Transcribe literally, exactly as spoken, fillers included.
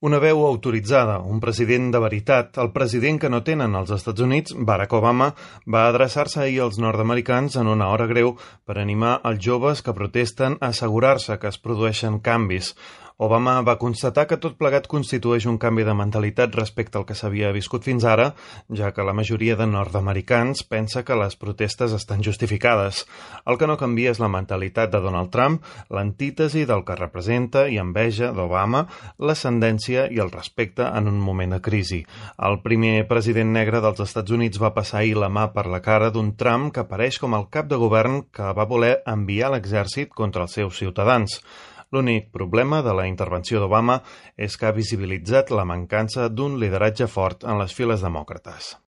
Una veu autoritzada, un president de veritat, el president que no tenen els Estats Units, Barack Obama, va adreçar-se ahir als nord-americans en una hora greu per animar els joves que protesten a assegurar-se que es produeixen canvis. Obama va constatar que tot plegat constitueix un canvi de mentalitat respecte al que s'havia viscut fins ara, ja que la majoria de nord-americans pensa que les protestes estan justificades. El que no canvia és la mentalitat de Donald Trump, l'antítesi del que representa i enveja d'Obama, l'ascendència i el respecte en un moment de crisi. El primer president negre dels Estats Units va passar ahir la mà per la cara d'un Trump que apareix com el cap de govern que va voler enviar l'exèrcit contra els seus ciutadans. L'únic problema de la intervenció d'Obama és que ha visibilitzat la mancança d'un lideratge fort en les files demòcrates.